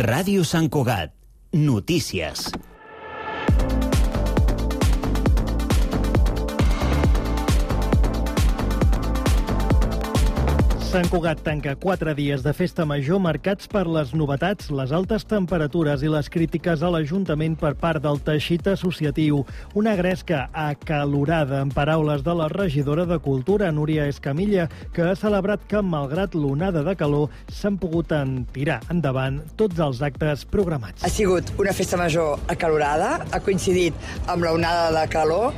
Ràdio Sant Cugat. Notícies. Sant Cugat tanca 4 dies de festa major marcats per les novetats, les altes temperatures i les crítiques a l'Ajuntament per part del teixit associatiu. Una gresca acalorada, en paraules de la regidora de Cultura, Núria Escamilla, que ha celebrat que, malgrat l'onada de calor, s'han pogut tirar endavant tots els actes programats. Ha sigut una festa major acalorada, ha coincidit amb l'onada de calor,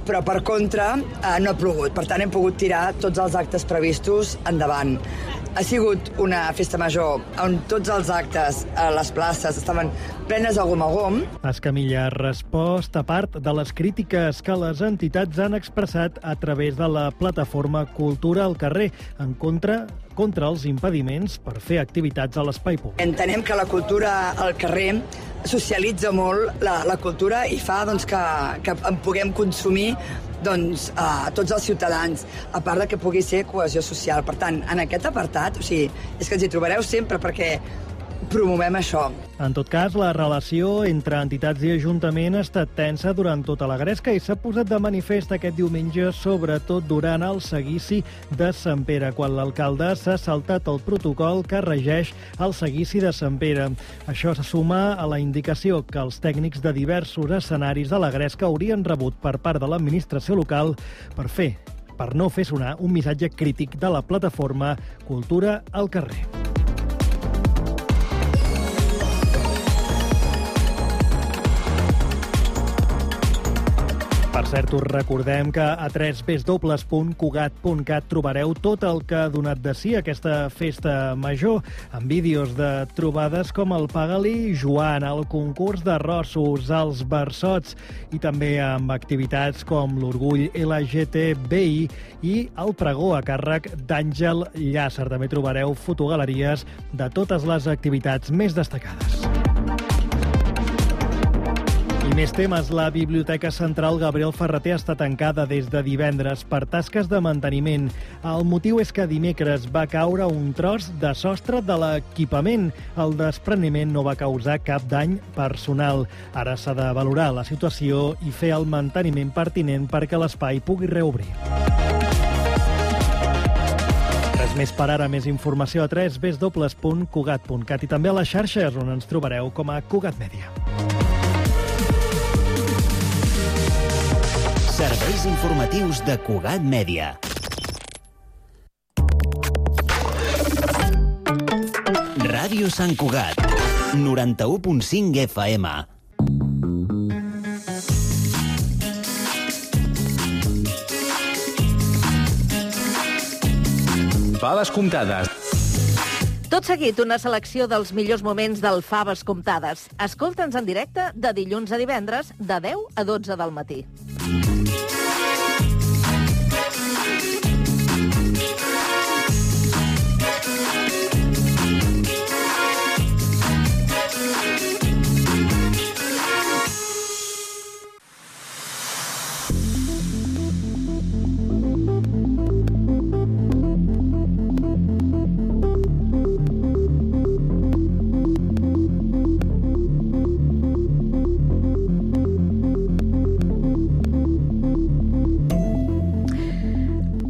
però per contra no ha plogut. Per tant, hem pogut tirar tots els actes previstos endavant. Ha sigut una festa major on tots els actes a les places estaven plenes de gom a gom. Escamilla ha respost a part de les crítiques que les entitats han expressat a través de la plataforma Cultura al carrer, en contra els impediments per fer activitats a l'espai públic. Entenem que la cultura al carrer socialitza molt la cultura i fa que en puguem consumir tots els ciutadans, a part de que pugui ser cohesió social. Per tant, en aquest apartat, és que ens hi trobareu sempre perquè promovem això. En tot cas, la relació entre entitats i Ajuntament ha estat tensa durant tota la gresca i s'ha posat de manifest aquest diumenge, sobretot durant el seguici de Sant Pere, quan l'alcalde s'ha saltat el protocol que regeix el seguici de Sant Pere. Això se suma a la indicació que els tècnics de diversos escenaris de la gresca haurien rebut per part de l'administració local per no fer sonar un missatge crític de la plataforma Cultura al carrer. Per cert, us recordem que a www.cugat.cat trobareu tot el que ha donat de si aquesta festa major, amb vídeos de trobades com el Paga-li Joan, el concurs d'arrossos, els versots i també amb activitats com l'Orgull LGTBI i el pregó a càrrec d'Àngel Llàcer. També trobareu fotogaleries de totes les activitats més destacades. I més temes. La Biblioteca Central Gabriel Ferrater està tancada des de divendres per tasques de manteniment. El motiu és que dimecres va caure un tros de sostre de l'equipament. El despreniment no va causar cap dany personal. Ara s'ha de valorar la situació i fer el manteniment pertinent perquè l'espai pugui reobrir. Res més per ara. Més informació a www.cugat.cat i també a les xarxes, on ens trobareu com a Cugat Mèdia. Serveis informatius de Cugat Mèdia. Ràdio Sant Cugat, 91.5 FM. Faves comptades. Tot seguit, una selecció dels millors moments del Faves comptades. Escolta'ns en directe de dilluns a divendres, de 10 a 12 del matí.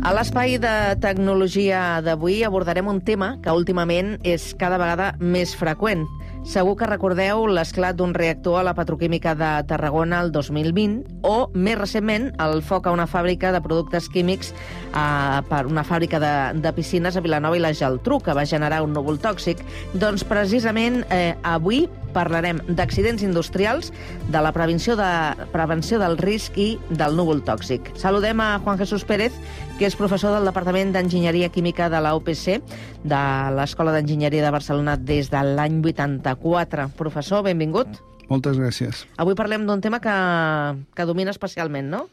A l'espai de tecnologia d'avui abordarem un tema que últimament és cada vegada més freqüent. Segur que recordeu l'esclat d'un reactor a la petroquímica de Tarragona el 2020 o, més recentment, el foc a una fàbrica de productes químics per una fàbrica de piscines a Vilanova i la Geltrú, que va generar un núvol tòxic. Doncs precisament avui parlarem d'accidents industrials, de la prevenció del risc i del núvol tòxic. Saludem a Juan Jesús Pérez, que és professor del Departament d'Enginyeria Química de la UPC, de l'Escola d'Enginyeria de Barcelona des de l'any 84. Professor, benvingut. Moltes gràcies. Avui parlem d'un tema que domina especialment, no?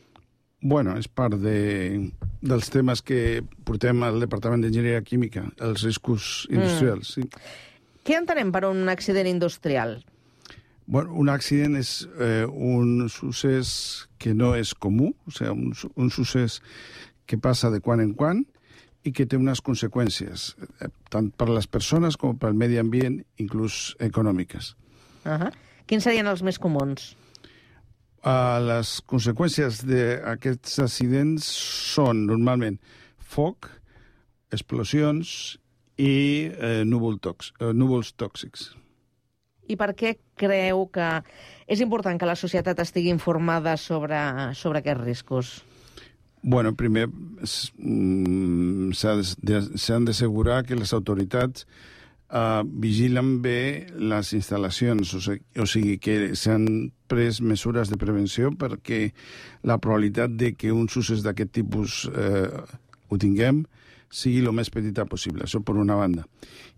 Bueno, és part dels temes que portem al Departament d'Enginyeria Química, els riscos industrials. Sí. Què entenem per un accident industrial? Bueno, un accident és un succés que no és comú, o sigui, un succés que passa de quan en quan i que té unes conseqüències, tant per les persones com pel medi ambient, inclús econòmiques. Quins serien els més comuns? Les conseqüències d'aquests accidents són normalment foc, explosions i núvols tòxics. I per què creu que és important que la societat estigui informada sobre aquests riscos? Bueno, primer s'han d'assegurar que les autoritats vigilen bé les instal·lacions, o sigui que s'han pres mesures de prevenció perquè la probabilitat de que uns usos d'aquest tipus ho tinguem sigui el més petita possible, això per una banda.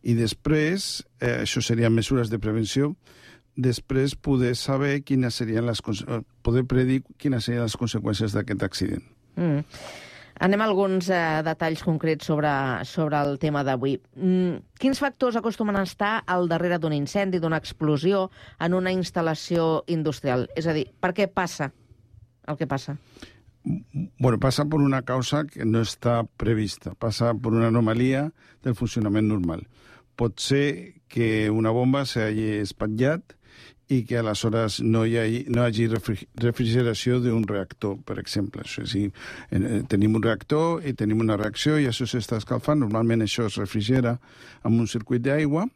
I després, això serien mesures de prevenció, després poder saber poder predir quines serien les conseqüències d'aquest accident. Anem a alguns detalls concrets sobre el tema d'avui. Quins factors acostumen a estar al darrere d'un incendi, d'una explosió en una instal·lació industrial? És a dir, per què passa el que passa? Bueno, passa per una causa que no està prevista, passa per una anomalia del funcionament normal. Pot ser que una bomba s'hagi espatllat i que aleshores no hi hagi refrigeració d'un reactor, per exemple. O sigui, tenim un reactor i tenim una reacció i això s'està escalfant. Normalment això es refrigera amb un circuit d'aigua,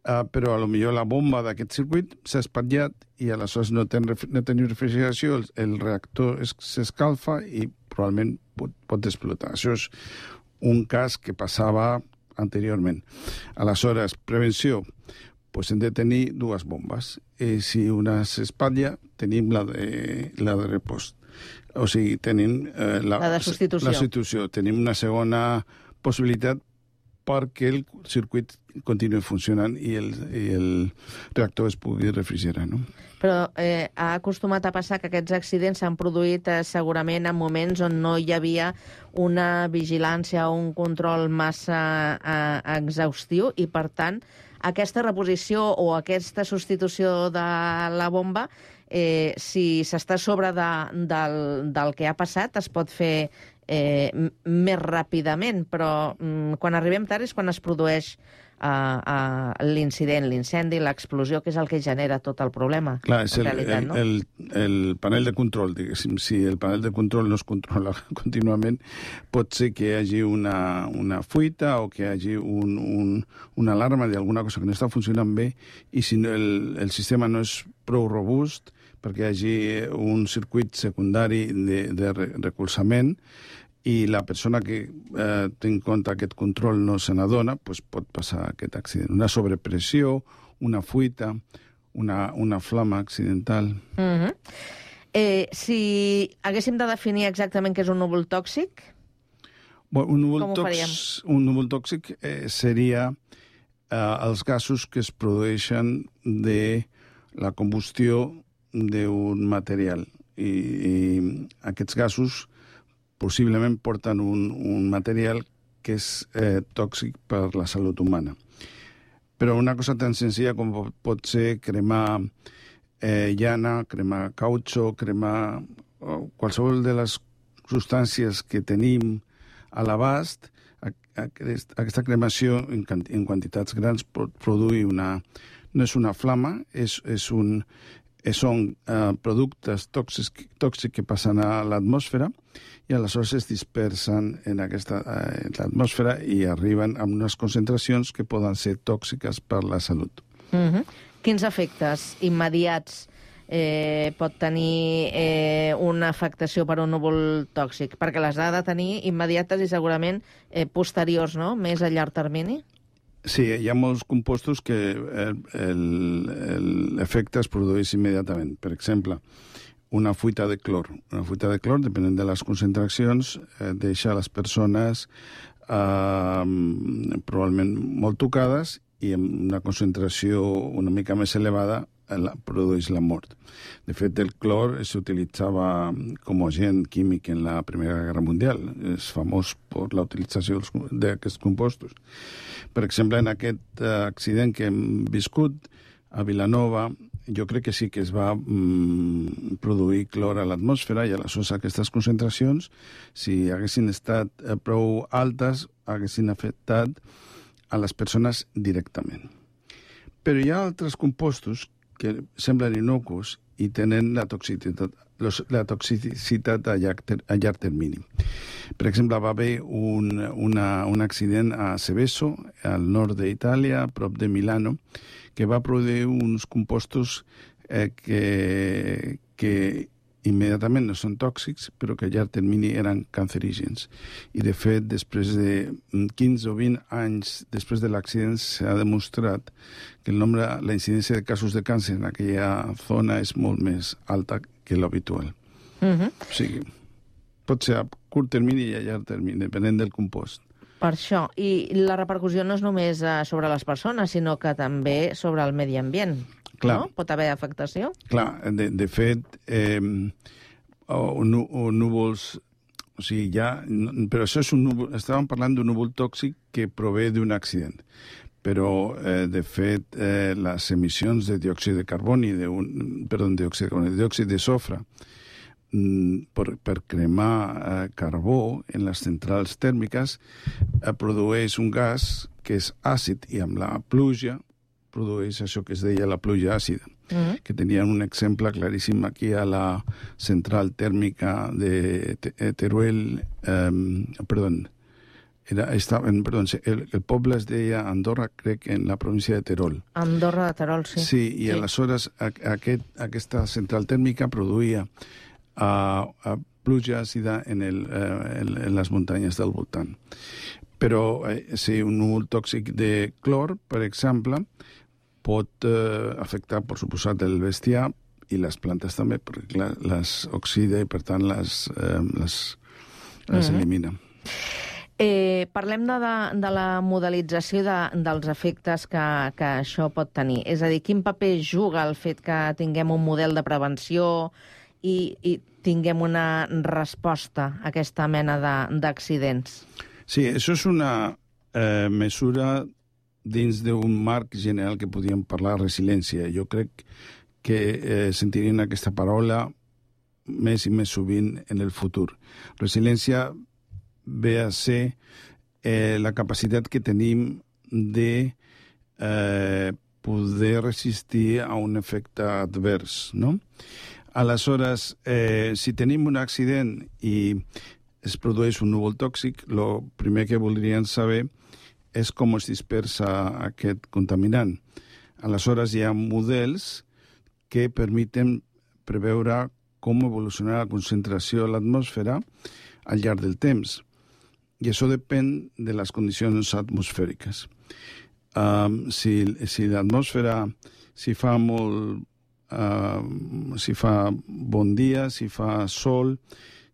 però potser la bomba d'aquest circuit s'ha espatllat i aleshores no tenim refrigeració, el reactor s'escalfa i probablement pot explotar. Això és un cas que passava anteriorment. Aleshores, prevenció, doncs hem de tenir dues bombes. I si una s'espatlla, tenim la de repost. O sigui, tenim la de substitució. La substitució. Tenim una segona possibilitat perquè el circuit continuï funcionant i el reactor es pugui refrigerar, no? Però ha acostumat a passar que aquests accidents s'han produït segurament en moments on no hi havia una vigilància o un control massa exhaustiu i, per tant, aquesta reposició o aquesta substitució de la bomba, si s'està a sobre del que ha passat, es pot fer més ràpidament, però quan arribem tard és quan es produeix l'incident, l'incendi, l'explosió, que és el que genera tot el problema. Clar, és el panel de control, diguéssim. Si el panel de control no es controla contínuament, pot ser que hi hagi una fuita o que hi hagi una alarma d'alguna cosa que no està funcionant bé i si el sistema no és prou robust perquè hi hagi un circuit secundari de recolzament i la persona que té en compte aquest control no se n'adona, doncs pot passar aquest accident. Una sobrepressió, una fuita, una flama accidental. Si haguéssim de definir exactament què és un núvol tòxic, com ho faríem? Un núvol tòxic seria els gasos que es produeixen de la combustió d'un material. I aquests gasos possiblement porten un material que és tòxic per la salut humana. Però una cosa tan senzilla com pot ser cremar llana, cremar cautxo, cremar qualsevol de les substàncies que tenim a l'abast, aquesta cremació en quantitats grans pot produir no és una flama, són productes tòxics que passen a l'atmosfera i aleshores es dispersen en l'atmosfera i arriben a unes concentracions que poden ser tòxiques per la salut. Quins efectes immediats pot tenir una afectació per un núvol tòxic? Perquè les ha de tenir immediates i segurament posteriors, no? Més a llarg termini? Sí, hi ha molts compostos que l'efecte es produeix immediatament. Per exemple, una fuita de clor. Una fuita de clor, depenent de les concentracions, deixa les persones probablement molt tocades i amb una concentració una mica més elevada produeix la mort. De fet, el clor s'utilitzava com a agent químic en la Primera Guerra Mundial. És famós per la utilització d'aquests compostos. Per exemple, en aquest accident que hem viscut a Vilanova, jo crec que sí que es va produir clor a l'atmosfera i aleshores aquestes concentracions, si haguessin estat prou altes, haguessin afectat a les persones directament. Però hi ha altres compostos que semblen innocus i tenen la toxicitat a llarg termini. Per exemple, va haver un accident a Seveso, al nord d'Itàlia, a prop de Milano, que va produir uns compostos que immediatament no són tòxics, però que a llarg termini eren cancerígens. I, de fet, després de 15 o 20 anys després de l'accident s'ha demostrat que la incidència de casos de càncer en aquella zona és molt més alta que l'habitual. O sigui, pot ser a curt termini i a llarg termini, depenent del compost. Per això. I la repercussió no és només sobre les persones, sinó que també sobre el medi ambient. Clar. No? Pot haver afectació? Clar, de fet, núvols... O sigui, però això és un núvol... Estàvem parlant d'un núvol tòxic que prové d'un accident. Però, de fet, les emissions de diòxid de carboni, diòxid de sofre, per cremar carbó en les centrals tèrmiques, produeix un gas que és àcid i amb la pluja produeix això que es deia la pluja àcida, que tenien un exemple claríssim aquí a la central tèrmica de Teruel, el poble es deia Andorra, crec, en la província de Terol. Andorra de Terol, sí. Sí, i aleshores aquesta central tèrmica produïa pluja àcida en les muntanyes del voltant. Però si un núvol tòxic de clor, per exemple, pot afectar, per suposat, el bestiar i les plantes també, perquè les oxida i, per tant, les elimina. Parlem de la modelització dels efectes que això pot tenir. És a dir, quin paper juga el fet que tinguem un model de prevenció i tinguem una resposta a aquesta mena d'accidents? Sí, això és una mesura dins d'un marc general que podríem parlar de resiliència. Jo crec que sentirien aquesta paraula més i més sovint en el futur. Resiliència ve a ser la capacitat que tenim de poder resistir a un efecte advers, no? Aleshores, si tenim un accident i es produeix un núvol tòxic, el primer que voldrien saber és com es dispersa aquest contaminant. Aleshores, hi ha models que permeten preveure com evolucionarà la concentració a l'atmosfera al llarg del temps. I això depèn de les condicions atmosfèriques. Si l'atmosfera, si fa bon dia, si fa sol,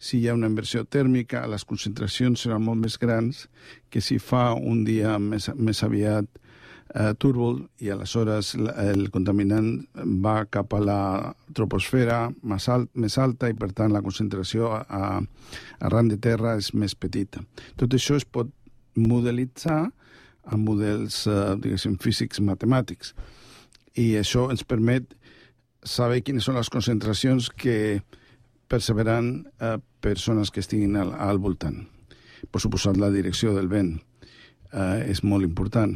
si hi ha una inversió tèrmica, les concentracions seran molt més grans que si fa un dia més aviat túrbol i aleshores el contaminant va cap a la troposfera més alta i, per tant, la concentració arran de terra és més petita. Tot això es pot modelitzar amb models, diguéssim, físics matemàtics. I això ens permet saber quines són les concentracions que percebran persones que estiguin al voltant. Per suposat, la direcció del vent és molt important.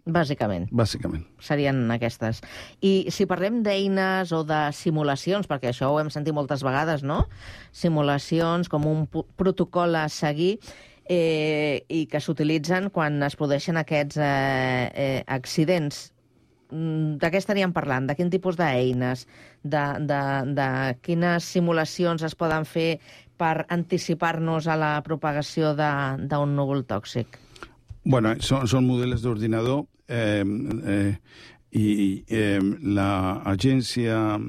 Bàsicament. Serien aquestes. I si parlem d'eines o de simulacions, perquè això ho hem sentit moltes vegades, no? Simulacions com un protocol a seguir i que s'utilitzen quan es produeixen aquests accidents. De què estaríem parlant? De quin tipus d'eines? De quines simulacions es poden fer per anticipar-nos a la propagació d'un núvol tòxic? Bueno, són models d'ordinador i l'Agència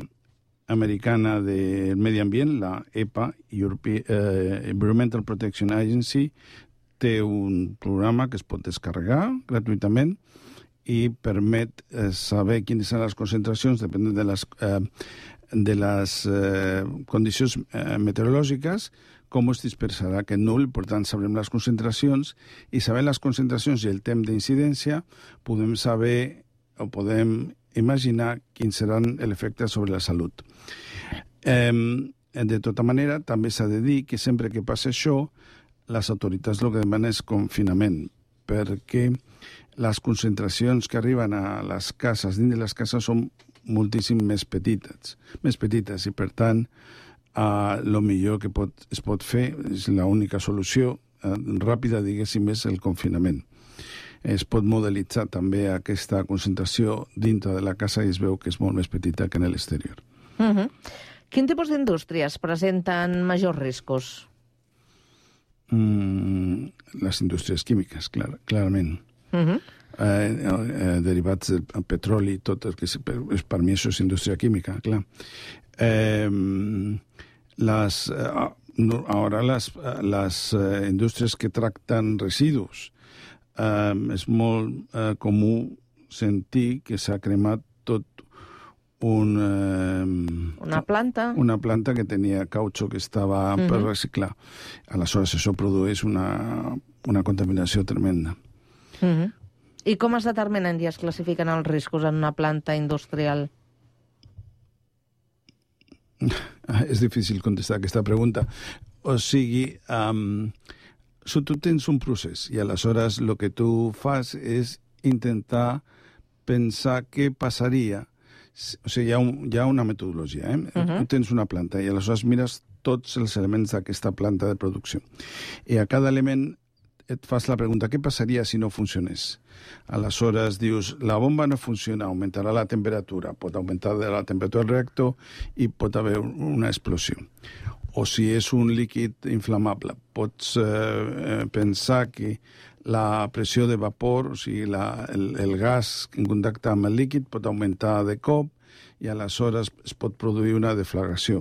Americana del Medi Ambient, la EPA, Environmental Protection Agency, té un programa que es pot descarregar gratuïtament i permet saber quines són les concentracions depenent de les condicions meteorològiques, com es dispersarà aquest núvol. Per tant, sabrem les concentracions i sabent les concentracions i el temps d'incidència podem saber o podem imaginar quin serà l'efecte sobre la salut. De tota manera, també s'ha de dir que sempre que passa això, les autoritats el que demanen és confinament, perquè les concentracions que arriben a les cases, dins de les cases, són moltíssim més petites, i per tant, el millor que es pot fer, és l'única solució ràpida, diguéssim, és el confinament. Es pot modelitzar també aquesta concentració dintre de la casa i es veu que és molt més petita que en l'exterior. Quin tipus d'indústries presenten majors riscos? Les indústries químiques, clarament. Derivats del petroli, tot el que per mi això és indústria química, clar. Ara les indústries que tracten residus, és molt comú sentir que s'ha cremat tot una planta que tenia cautxo que estava per reciclar. Aleshores, això produeix una contaminació tremenda. I com es determinen i es classifiquen els riscos en una planta industrial? És difícil contestar aquesta pregunta. O sigui, si tu tens un procés i aleshores el que tu fas és intentar pensar què passaria. O sigui, hi ha una metodologia. Tu tens una planta i aleshores mires tots els elements d'aquesta planta de producció. I a cada element et fas la pregunta, què passaria si no funcionés? Aleshores dius, la bomba no funciona, augmentarà la temperatura, pot augmentar la temperatura del reactor i pot haver una explosió. O si és un líquid inflamable, pots pensar que la pressió de vapor, o sigui, el gas en contacte amb el líquid pot augmentar de cop i aleshores es pot produir una deflagració.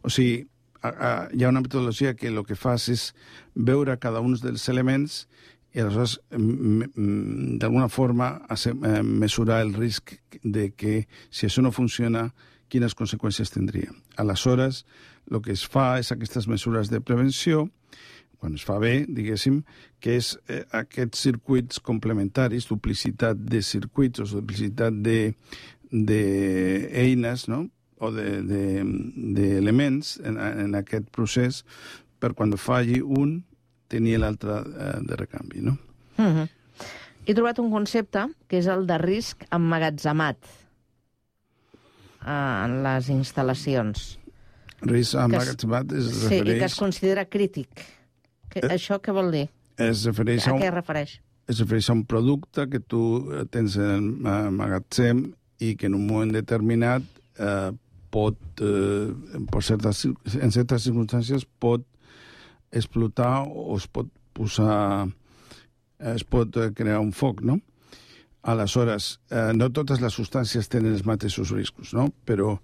O sigui, hi ha una metodologia que el que fas és veure cada un dels elements i aleshores d'alguna forma mesurar el risc de que si això no funciona, quines conseqüències tindria. Aleshores, el que es fa és aquestes mesures de prevenció, quan es fa bé, diguéssim, que és aquests circuits complementaris, duplicitat de circuits o duplicitat d'eines, no?, o d'elements en aquest procés per quan falli un tenir l'altre de recanvi, no? He trobat un concepte que és el de risc emmagatzemat en les instal·lacions. Risc emmagatzemat es refereix... Sí, i que es considera crític. Això què vol dir? Es refereix a què es refereix? Es refereix a un producte que tu tens en el magatzem i que en un moment determinat en certes circumstàncies pot explotar o es pot crear un foc, no? Aleshores, no totes les substàncies tenen els mateixos riscos, no? Però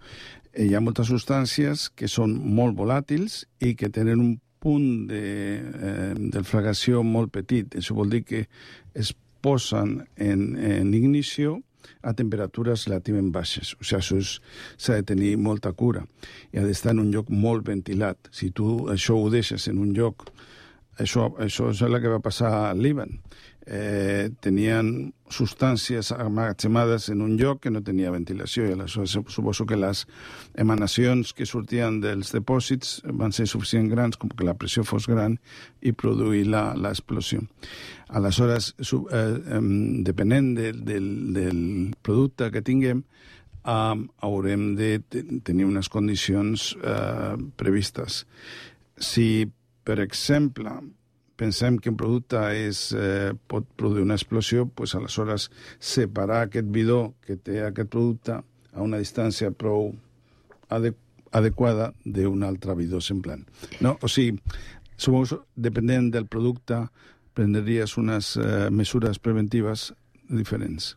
hi ha moltes substàncies que són molt volàtils i que tenen un punt de deflagració molt petit. Això vol dir que es posen en ignició a temperatures relativament baixes. O sigui, això s'ha de tenir molta cura i ha d'estar en un lloc molt ventilat. Si tu això ho deixes en un lloc... Això és el que va passar al Líban. Tenien substàncies emmagatzemades en un lloc que no tenia ventilació i aleshores suposo que les emanacions que sortien dels dipòsits van ser suficient grans com que la pressió fos gran i produir l'explosió. Aleshores, depenent del producte que tinguem, haurem de tenir unes condicions previstes. Si, per exemple, pensem que un producte pot produir una explosió, doncs aleshores separar aquest bidó que té aquest producte a una distància prou adequada d'un altre bidó semblant. No? O sigui, suposo, depenent del producte, prendries unes mesures preventives diferents.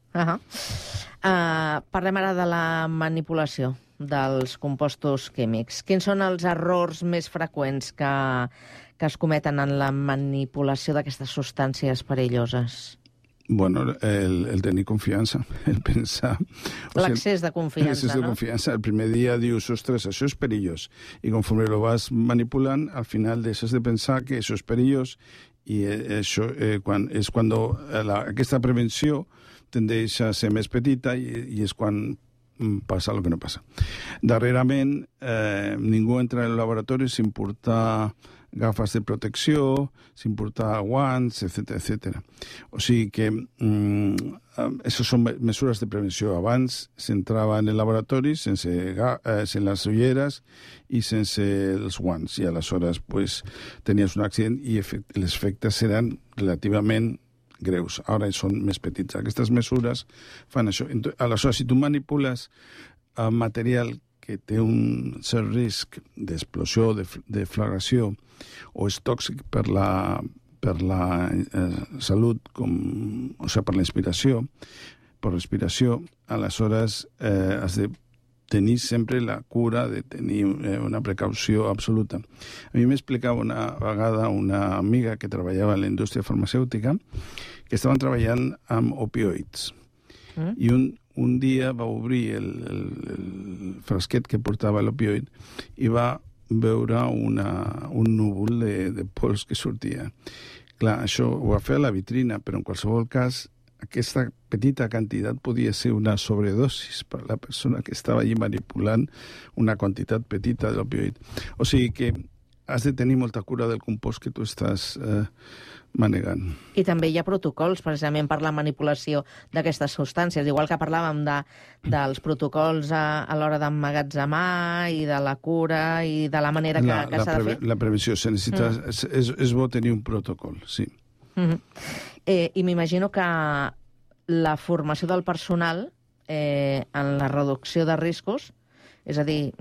Parlem ara de la manipulació dels compostos químics. Quins són els errors més freqüents que es cometen en la manipulació d'aquestes substàncies perilloses? Bueno, el tenir confiança, el pensar... L'accés de confiança, l'accés de confiança. El primer dia dius, ostres, això és perillós. I conforme lo vas manipulant, al final deixes de pensar que això és perillós i això és quan aquesta prevenció tendeix a ser més petita i és quan passa el que no passa. Darrerament, ningú entra al laboratori sin portar gafes de protecció, sin portar guants, etc. O sigui que això són mesures de prevenció. Abans s'entrava en el laboratori sense les ulleres i sense els guants, i aleshores pues, tenies un accident i els efectes seran relativament greus. Ara són més petits. Aquestes mesures fan això. Aleshores, si tu manipules material que té un cert risc d'explosió, de deflagració, o és tòxic per la salut, o sigui, per l'inspiració, per respiració, aleshores has de tenir sempre la cura de tenir una precaució absoluta. A mi m'explicava una vegada una amiga que treballava en la indústria farmacèutica que estaven treballant amb opioids. I un dia va obrir el frasquet que portava l'opioid i va veure un núvol de pols que sortia. Clar, això ho va fer a la vitrina, però en qualsevol cas aquesta petita quantitat podia ser una sobredosis per a la persona que estava allí manipulant una quantitat petita de l'opioid. O sigui que has de tenir molta cura del compost que tu estàs manegant. I també hi ha protocols, precisament, per la manipulació d'aquestes substàncies. Igual que parlàvem dels protocols a l'hora d'emmagatzemar i de la cura i de la manera que s'ha de fer. La prevenció. És bo tenir un protocol, sí. I m'imagino que la formació del personal en la reducció de riscos, és a dir,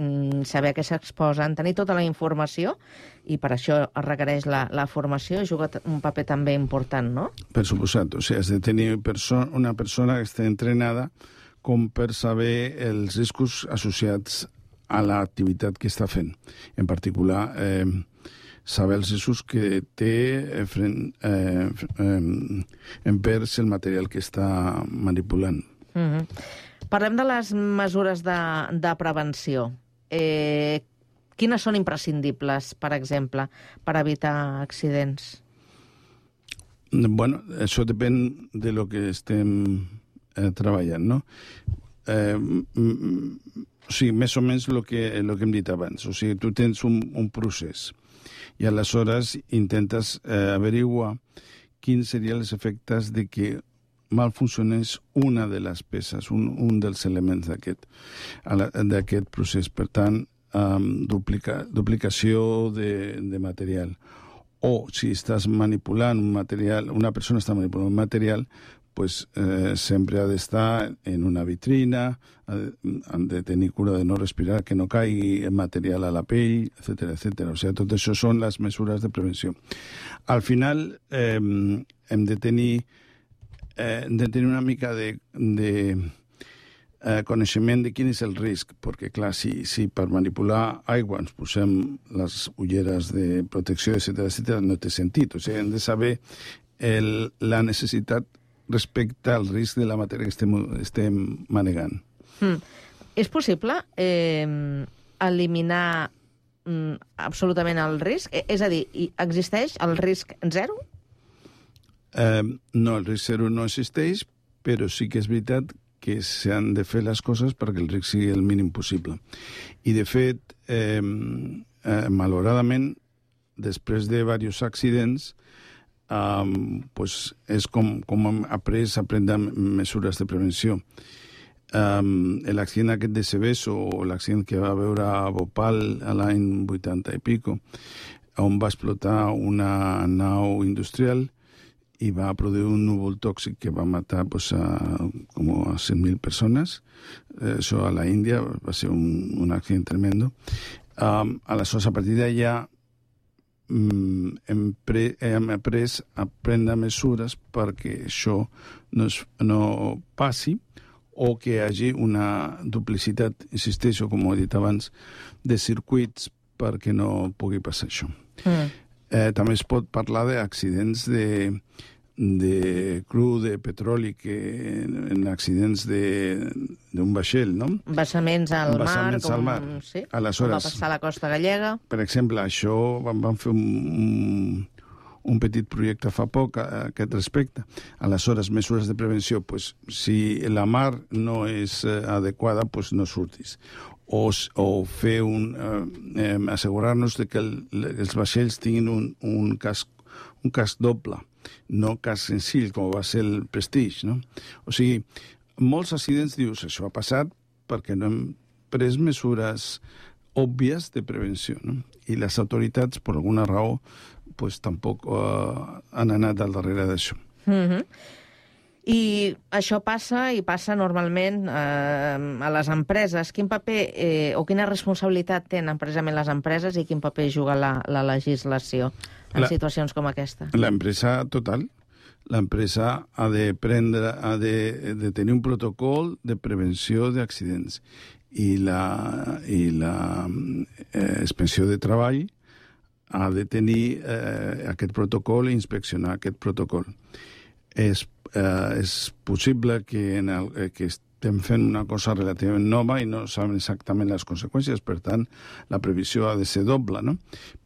saber a què s'exposen, tenir tota la informació, i per això es requereix la formació, juga un paper també important, no? Per suposat. O sigui, has de tenir una persona que estigui entrenada com per saber els riscos associats a l'activitat que està fent. En particular, saber els riscos que té envers el material que està manipulant. Parlem de les mesures de prevenció. Quines són imprescindibles, per exemple, per evitar accidents? Bueno, això depèn de lo que estem treballant, no? O sigui, més o menys el que hem dit abans. O sigui, tu tens un procés i aleshores intentes averiguar quins serien els efectes de que mal funcionés una de les peces, un dels elements d'aquest procés. Per tant, duplicació de material. O si estàs manipulant un material, una persona està manipulant un material, pues sempre ha d'estar en una vitrina, han de tenir cura de no respirar, que no caigui material a la pell, etc. O sigui, tot això són les mesures de prevenció. Al final, hem de tenir una mica de coneixement de quin és el risc, perquè, clar, si per manipular aigua ens posem les ulleres de protecció, etc., no té sentit. O sigui, hem de saber la necessitat respecte al risc de la matèria que estem manegant. És possible eliminar absolutament el risc? És a dir, existeix el risc zero? No, el risc zero no existeix, però sí que és veritat que s'han de fer les coses perquè el risc sigui el mínim possible. I, de fet, malauradament, després de diversos accidents, és com hem après a prendre mesures de prevenció. L'accident aquest de Seveso, o l'accident que va veure a Bhopal a l'any 80 i pico, on va explotar una nau industrial i va produir un núvol tòxic que va matar com a 100.000 persones. Això a la Índia va ser un accident tremendo. Aleshores, a partir d'allà, hem après a prendre mesures perquè això no passi, o que hi hagi una duplicitat, insisteixo, com ho he dit abans, de circuits perquè no pugui passar això. També es pot parlar d'accidents de cru de petroli, en accidents d'un vaixell, no? Vessaments al mar, com va Aleshores, passar a la costa gallega. Per exemple, això van fer un petit projecte fa poc a aquest respecte. Aleshores, mesures de prevenció, pues, si la mar no és adequada, pues no surtis. O fer assegurar-nos de que els vaixells tinguin un casc doble, no casc senzill, com va ser el Prestige, no? O sigui, molts accidents dius, això ha passat perquè no hem pres mesures òbvies de prevenció, no? I les autoritats, per alguna raó, pues, tampoc han anat al darrere d'això. I això passa normalment a les empreses. Quin paper o quina responsabilitat tenen precisament les empreses i quin paper juga la legislació en situacions com aquesta? L'empresa total. L'empresa ha de tenir un protocol de prevenció d'accidents i la inspecció de treball ha de tenir aquest protocol i inspeccionar aquest protocol. És possible que estem fent una cosa relativament nova i no sabem exactament les conseqüències, per tant, la previsió ha de ser doble, no?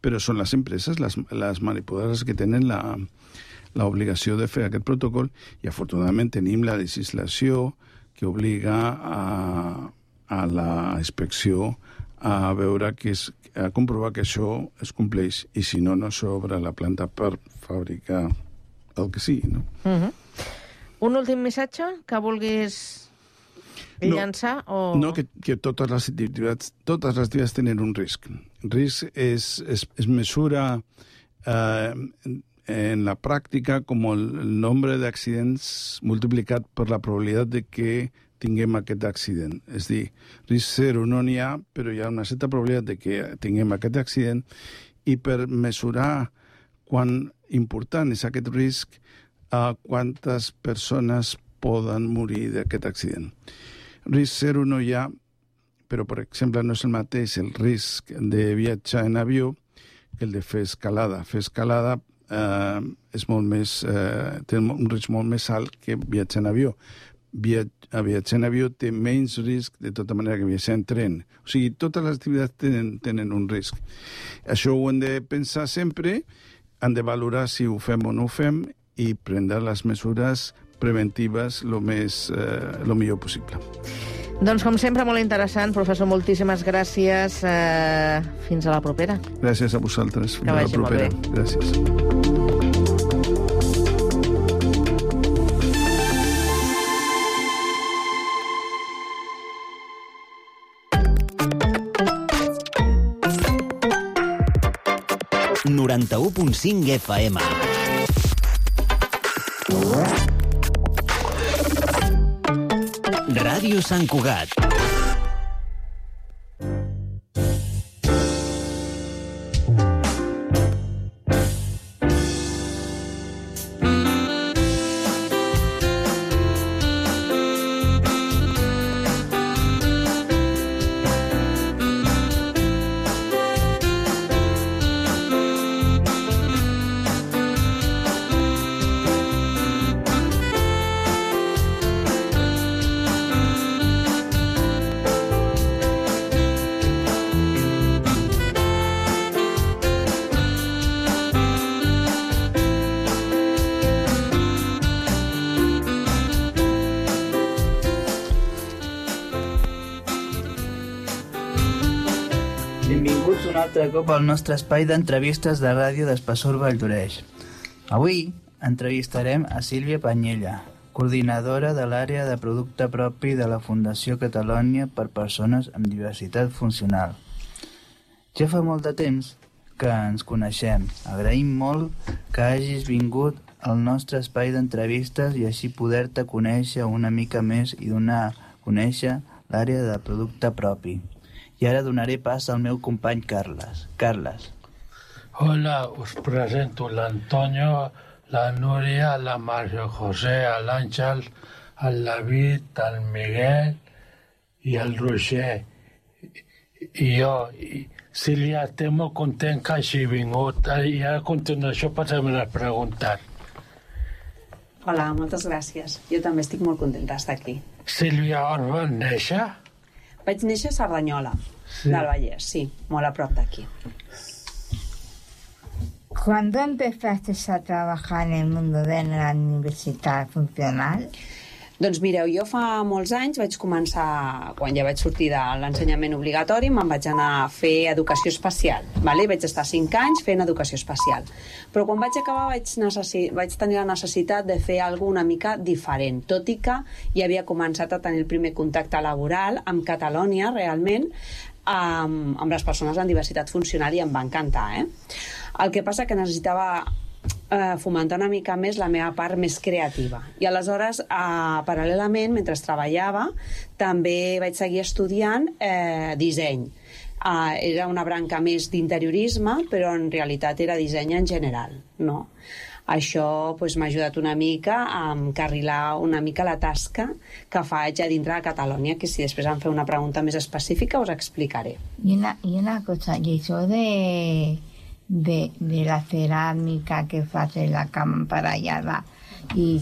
Però són les empreses, les manipuladores que tenen l'obligació de fer aquest protocol i, afortunadament, tenim la legislació que obliga a la inspecció a veure a comprovar que això es compleix i, si no, no s'obre la planta per fabricar el que sigui, no? Un últim missatge que vulguis llançar? No, que totes les activitats tenen un risc. Risc es mesura en la pràctica com el nombre d'accidents multiplicat per la probabilitat de que tinguem aquest accident. És a dir, risc zero no n'hi ha, però hi ha una certa probabilitat de que tinguem aquest accident, i per mesurar quan important és aquest risc, quantes persones poden morir d'aquest accident. Risc zero no hi ha, però, per exemple, no és el mateix el risc de viatjar en avió que el de fer escalada. Fer escalada és molt més, té un risc molt més alt que viatjar en avió. Viatjar en avió té menys risc, de tota manera, que viatjar en tren. O sigui, totes les activitats tenen un risc. Això ho hem de pensar sempre, han de valorar si ho fem o no ho fem i prendre les mesures preventives lo millor possible. Doncs, com sempre, molt interessant. Professor, moltíssimes gràcies. Fins a la propera. Gràcies a vosaltres. Fins a la propera. Gràcies. FM. Ràdio Sant Cugat. Benvinguts un altre cop al nostre espai d'entrevistes de ràdio d'Espessor Valldoreix. Avui entrevistarem a Sílvia Panyella, coordinadora de l'àrea de producte propi de la Fundació Catalònia per Persones amb Diversitat Funcional. Ja fa molt de temps que ens coneixem. Agraïm molt que hagis vingut al nostre espai d'entrevistes i així poder-te conèixer una mica més i donar a conèixer l'àrea de producte propi. I ara donaré pas al meu company Carles. Carles. Hola, us presento l'Antonio, la Núria, la Mario José, l'Àngel, el David, el Miguel i el Roger. I jo, Sílvia, estic molt content que hagi vingut. I a continuació passem a preguntar. Hola, moltes gràcies. Jo també estic molt contenta d'estar aquí. Sílvia, on vas néixer? Vaig néixer a Cerdanyola, del Vallès, sí, molt a prop d'aquí. ¿Cuándo empezaste a trabajar en el mundo de la universidad funcional? Doncs mireu, jo fa molts anys vaig començar, quan ja vaig sortir de l'ensenyament obligatori, me'n vaig anar a fer educació especial. Vale? Vaig estar 5 anys fent educació especial. Però quan vaig acabar vaig tenir la necessitat de fer alguna una mica diferent, tot i que ja havia començat a tenir el primer contacte laboral amb Catalònia, realment, amb les persones amb diversitat funcional, i em va encantar. El que passa que necessitava fomentar una mica més la meva part més creativa. I aleshores, paral·lelament, mentre treballava, també vaig seguir estudiant disseny. Era una branca més d'interiorisme, però en realitat era disseny en general, no? Això m'ha ajudat una mica a encarrilar una mica la tasca que faig a dintre de Catalònia, que si després em feu una pregunta més específica us explicaré. Y una cosa, y eso de la cerámica que hace la cámara allá y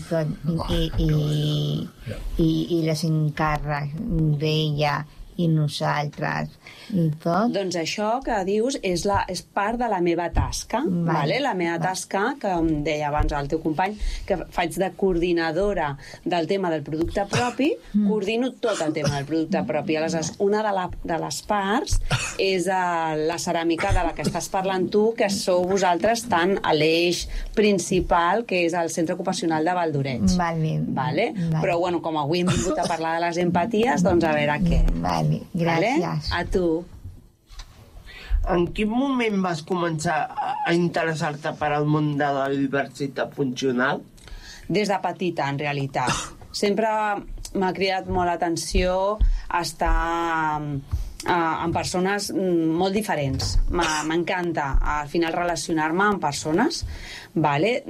les encàrrecs d'ella i nosaltres i tot. Doncs això que dius és part de la meva tasca, vale? La meva tasca, que em deia abans el teu company, que faig de coordinadora del tema del producte propi, coordino tot el tema del producte propi. Aleshores, una de les parts és la ceràmica de la que estàs parlant tu, que sou vosaltres tant a l'eix principal, que és el Centre Ocupacional de Valdoreig. Vale? Però, bueno, com avui hem vingut a parlar de les empaties, doncs a veure què. Vale, gràcies. A tu. En quin moment vas començar a interessar-te per al món de la diversitat funcional? Des de petita, en realitat. Sempre m'ha cridat molt l'atenció estar amb persones molt diferents. M'encanta, al final, relacionar-me amb persones, vale?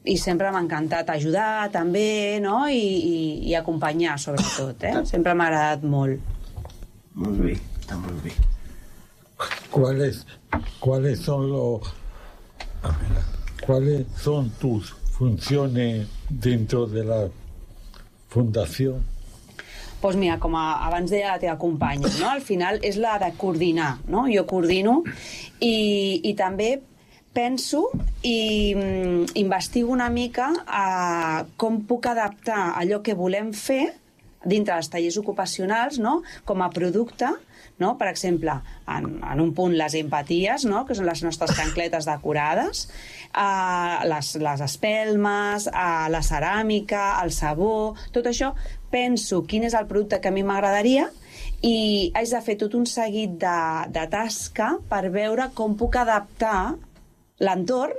I sempre m'ha encantat ajudar, també, no? I acompanyar, sobretot, Sempre m'ha agradat molt. Molt bé, està molt bé. ¿Cuáles son tus funciones dentro de la fundación? Doncs mira, com abans deia la teva companya, no? Al final és la de coordinar, no? Jo coordino i també penso i investigo una mica com puc adaptar allò que volem fer dintre dels tallers ocupacionals, no? Com a producte, no? Per exemple, en un punt les empaties, no? Que són les nostres xancletes decorades, les espelmes, la ceràmica, el sabó, tot això, penso quin és el producte que a mi m'agradaria i haig de fer tot un seguit de tasca per veure com puc adaptar l'entorn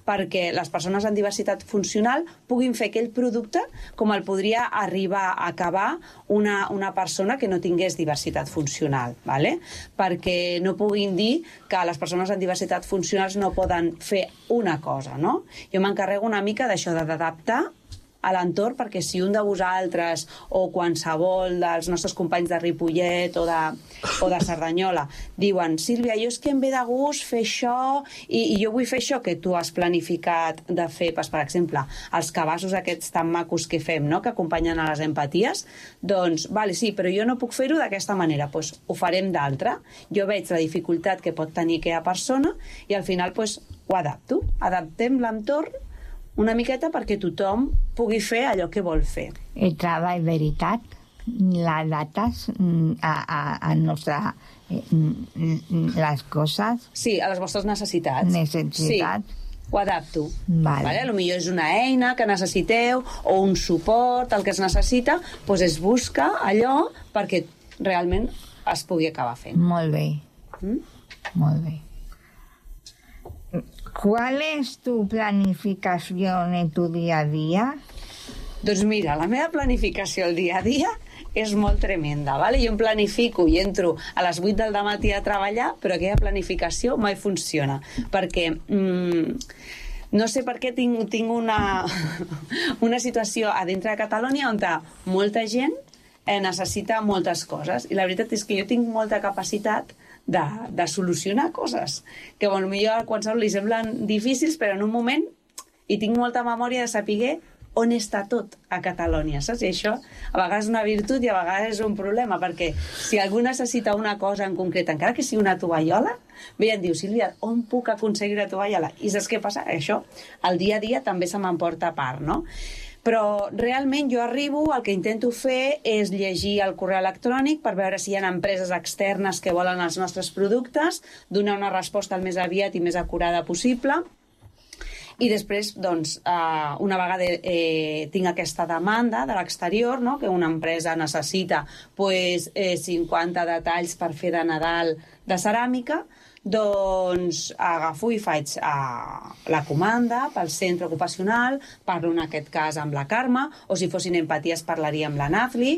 perquè les persones amb diversitat funcional puguin fer aquell producte com el podria arribar a acabar una persona que no tingués diversitat funcional, ¿vale? Perquè no puguin dir que les persones amb diversitat funcional no poden fer una cosa, no? Jo m'encarrego una mica d'això, d'adaptar a l'entorn, perquè si un de vosaltres o qualsevol dels nostres companys de Ripollet o de Cerdanyola diuen, Sílvia, jo és que em ve de gust fer això i jo vull fer això que tu has planificat de fer, per exemple, els cabassos aquests tan macos que fem, no? Que acompanyen a les empaties, doncs, vale, sí, però jo no puc fer-ho d'aquesta manera, doncs ho farem d'altra. Jo veig la dificultat que pot tenir aquella persona i al final doncs, ho adapto. Adaptem l'entorn una miqueta perquè tothom pugui fer allò que vol fer. El treball veritat, les dates a nostra, les coses. Sí, a les vostres necessitats. Necessitats. Sí, ho adapto. Vale. Potser és una eina que necessiteu o un suport, el que es necessita, doncs es busca allò perquè realment es pugui acabar fent. Molt bé. Molt bé. ¿Cuál es tu planificación en tu día a día? Doncs mira, la meva planificació el dia a dia és molt tremenda, ¿vale? Jo em planifico i entro a les 8 del matí a treballar, però aquella planificació mai funciona, perquè no sé per què tinc una situació a dintre de Catalònia on molta gent necessita moltes coses, i la veritat és que jo tinc molta capacitat de solucionar coses que potser a qualsevol li semblen difícils, però en un moment hi tinc molta memòria de saber on està tot a Catalunya, saps? I això a vegades és una virtut i a vegades és un problema, perquè si algú necessita una cosa en concret, encara que sigui una tovallola, ve i em diu, Sílvia, on puc aconseguir una tovallola? I saps què passa? Això, el dia a dia també se m'emporta a part, no? Però realment jo arribo, el que intento fer és llegir el correu electrònic per veure si hi ha empreses externes que volen els nostres productes, donar una resposta el més aviat i més acurada possible. I després, doncs, una vegada tinc aquesta demanda de l'exterior, no? Que una empresa necessita 50 detalls per fer de Nadal de ceràmica, doncs agafo i faig la comanda pel centre ocupacional, parlo en aquest cas amb la Carme, o si fossin empaties parlaria amb la Nazli,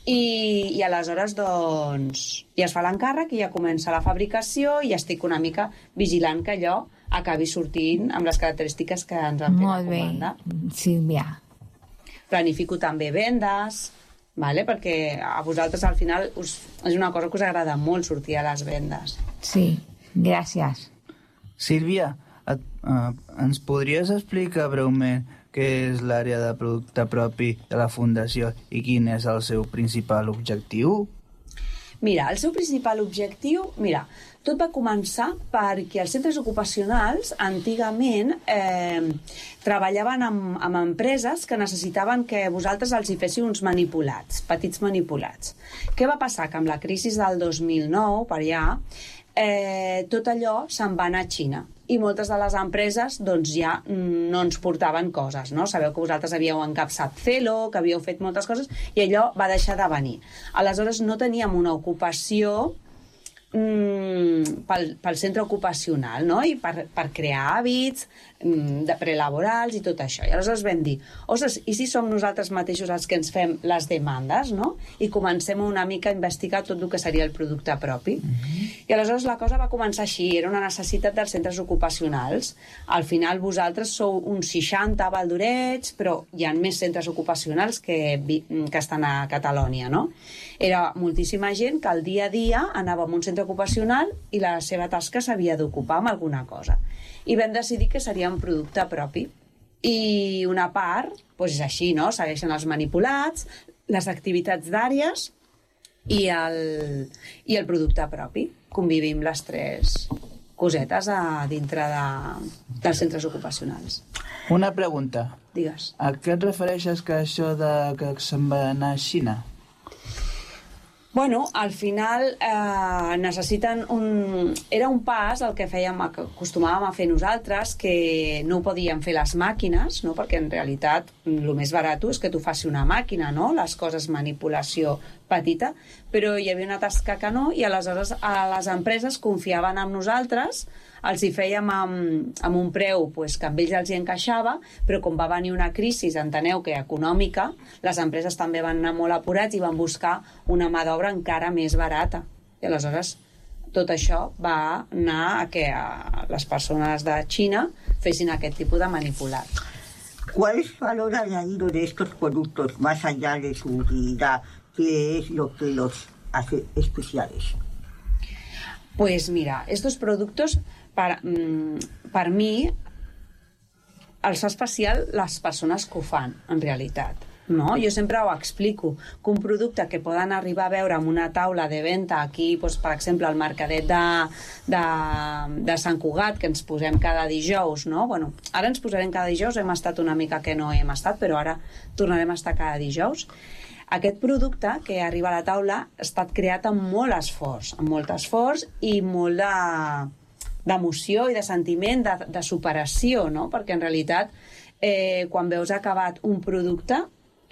i aleshores doncs ja es fa l'encàrrec i ja comença la fabricació i estic una mica vigilant que allò acabi sortint amb les característiques que ens han fet la comanda. Molt bé, Sílvia. Planifico també vendes, vale? Perquè a vosaltres al final és una cosa que us agrada molt sortir a les vendes. Sí, gràcies. Sílvia, ens podries explicar breument què és l'àrea de producte propi de la Fundació i quin és el seu principal objectiu? Mira, el seu principal objectiu... Mira, tot va començar perquè els centres ocupacionals antigament treballaven amb empreses que necessitaven que vosaltres els hi féssiu uns manipulats, petits manipulats. Què va passar? Que amb la crisi del 2009, per allà, tot allò se'n va anar a Xina i moltes de les empreses doncs, ja no ens portaven coses, no? Sabeu que vosaltres havíeu encapçat Celo, que havíeu fet moltes coses i allò va deixar de venir. Aleshores no teníem una ocupació pel centre ocupacional, no? I per crear hàbits de prelaborals i tot això. I aleshores vam dir, ostres, i si som nosaltres mateixos els que ens fem les demandes, no? I comencem una mica a investigar tot el que seria el producte propi. I aleshores la cosa va començar així, era una necessitat dels centres ocupacionals. Al final vosaltres sou uns 60 a Valdoreig, però hi ha més centres ocupacionals que estan a Catalunya, no? Era moltíssima gent que al dia a dia anava a un centre ocupacional i la seva tasca s'havia d'ocupar amb alguna cosa. I vam decidir que seria un producte propi. I una part, doncs és així, no? Segueixen els manipulats, les activitats d'àrees i el producte propi. Convivim les tres cosetes a dintre dels centres ocupacionals. Una pregunta. Digues. A què et refereixes que això de que se'n va anar a Xina? Bueno, al final necessiten Era un pas el que que acostumàvem a fer nosaltres, que no ho podíem fer les màquines, no? Perquè en realitat el més barat és que tu faci una màquina, no? Les coses manipulació petita, però hi havia una tasca que no, i aleshores les empreses confiaven en nosaltres, els hi fèiem amb un preu que amb ells els hi encaixava, però com va venir una crisi, enteneu que econòmica, les empreses també van anar molt apurats i van buscar una mà d'obra encara més barata. I aleshores tot això va anar a que les persones de Xina fessin aquest tipus de manipulat. ¿Cuál es el valor añadido de estos productos más allá de su utilidad? ¿Qué es lo que los hace especiales? Pues mira, estos productos per mi els fa especial les persones que ho fan, en realitat. No? Jo sempre ho explico, que un producte que poden arribar a veure en una taula de venda aquí, doncs, per exemple, al mercadet de Sant Cugat, que ens posem cada dijous, no? Bueno, ara ens posarem cada dijous, hem estat una mica que no hem estat, però ara tornarem a estar cada dijous. Aquest producte que arriba a la taula ha estat creat amb molt esforç i molt d'emoció i de sentiment, de superació, no? Perquè en realitat quan veus acabat un producte,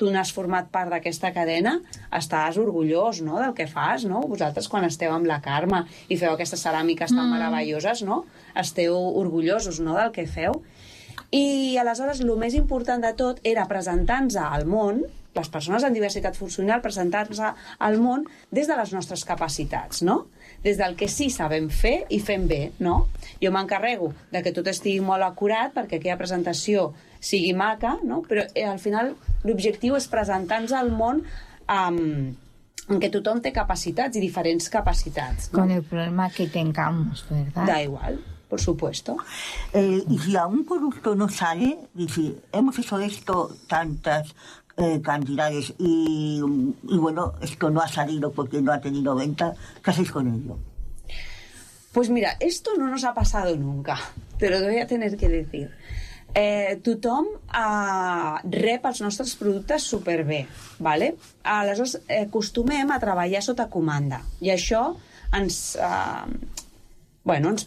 tu n'has format part d'aquesta cadena, estàs orgullós, no?, del que fas, no? Vosaltres quan esteu amb la Carme i feu aquestes ceràmiques tan meravelloses, no?, esteu orgullosos, no?, del que feu. I aleshores el més important de tot era presentar-nos al món, les persones amb diversitat funcional, presentar-nos al món des de les nostres capacitats, no? Des del que sí sabem fer i fem bé, no? Jo m'encarrego de que tot estigui molt acurat perquè aquella presentació sigui maca, no? Però al final l'objectiu és presentar-nos al món en què tothom té capacitats i diferents capacitats, ¿no? Con el problema que tengamos, ¿verdad? Da igual. por supuesto. Y si a un producto no sale, dice, hemos hecho esto tantas cantidades y bueno, esto no ha salido porque no ha tenido venta, ¿qué hacéis con ello? Pues mira, esto no nos ha pasado nunca, te lo voy a tener que decir. Tothom rep els nostres productes superbé, ¿vale? Aleshores acostumem a treballar sota comanda i això ens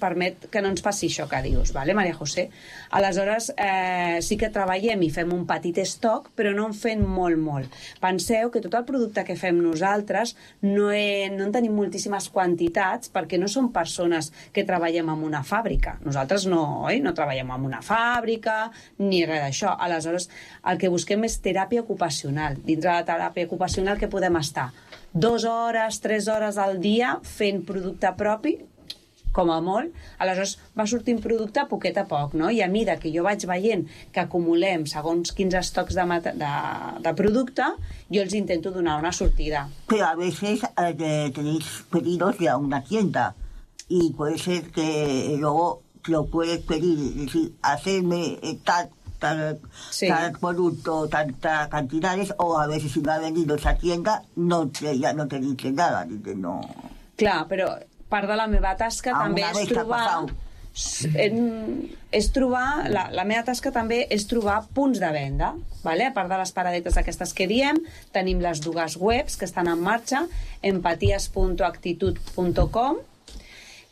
permet que no ens passi això que dius, ¿vale, Maria José? Aleshores sí que treballem i fem un petit estoc, però no en fem molt. Penseu que tot el producte que fem nosaltres no en tenim moltíssimes quantitats perquè no som persones que treballem en una fàbrica. Nosaltres no treballem en una fàbrica ni res d'això. Aleshores, el que busquem és teràpia ocupacional. Dintre de la teràpia ocupacional que podem estar 2 hores, 3 hores al dia fent producte propi, com a molt, aleshores va sortint producte a poquet a poc, no? I a mida que jo vaig veient que acumulem segons quins estocs de producte, yo els intento donar una sortida. Pero a veces tenéis pedidos de una tienda y puede ser que luego lo puedes pedir, es decir, hacerme tal producto, tantas cantidades, o a veces si no ha vendido esa tienda, ya no te dice nada, dice no. Clar, però part de la meva tasca també és trobar la meva tasca també és trobar punts de venda, vale? A part de les paradetes aquestes que diem, tenim les dues webs que estan en marxa, empatias.actitud.com